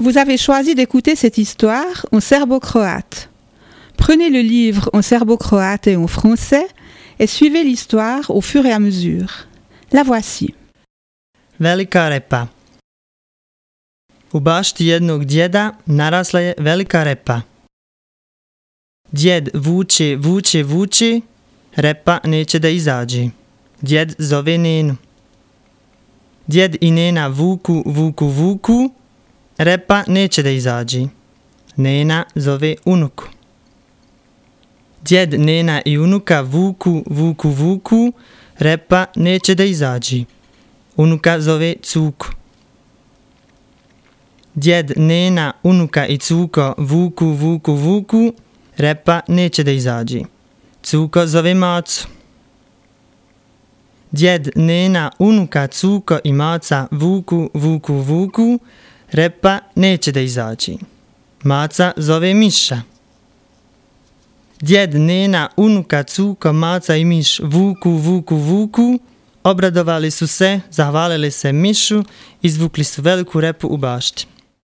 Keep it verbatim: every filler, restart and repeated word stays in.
Vous avez choisi d'écouter cette histoire en serbo-croate. Prenez le livre en serbo-croate et en français et suivez l'histoire au fur et à mesure. La voici. Velika repa. U bašti jednog djeda narasla je velika repa. Djed vuče, vuče, vuče, repa neće da izađe. Djed zove Nenu. Djed i Nena vuku, vuku, vuku, repa neće da izađe. Nena zove unuku. Djed, Nena i unuka vuku, vuku, vuku, repa neće da izađe. Unuka zove cuku. Djed, Nena, unuka i cuko vuku, vuku, vuku, repa neće da izađe. Cuko zove macu. Djed, Nena, unuka, cuko i maca vuku, vuku, vuku, repa neće da izađe. Maca zove miša. Djed, Nena, unuka, cuko, maca i miš vuku, vuku, vuku, obradovali su se, zahvalili se mišu, izvukli su veliku repu u bašti.